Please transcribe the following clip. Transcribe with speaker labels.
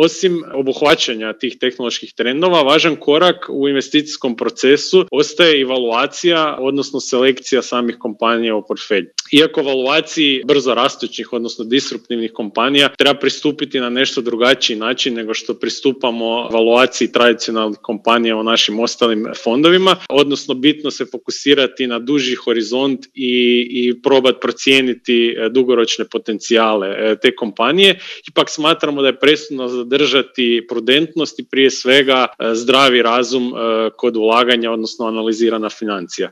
Speaker 1: osim obuhvaćanja tih tehnoloških trendova, važan korak u investicijskom procesu ostaje evaluacija, odnosno selekcija samih kompanija u portfelju. Iako evaluaciji brzo rastućih, odnosno disruptivnih kompanija treba pristupiti na nešto drugačiji način nego što pristupamo evaluaciji tradicionalnih kompanija u našim ostalim fondovima, odnosno bitno se fokusirati na duži horizont i probati procijeniti dugoročne potencijale te kompanije. Ipak smatramo da je presudno zadržati prudentnost i prije svega zdravi razum kod ulaganja, odnosno analizirana financija.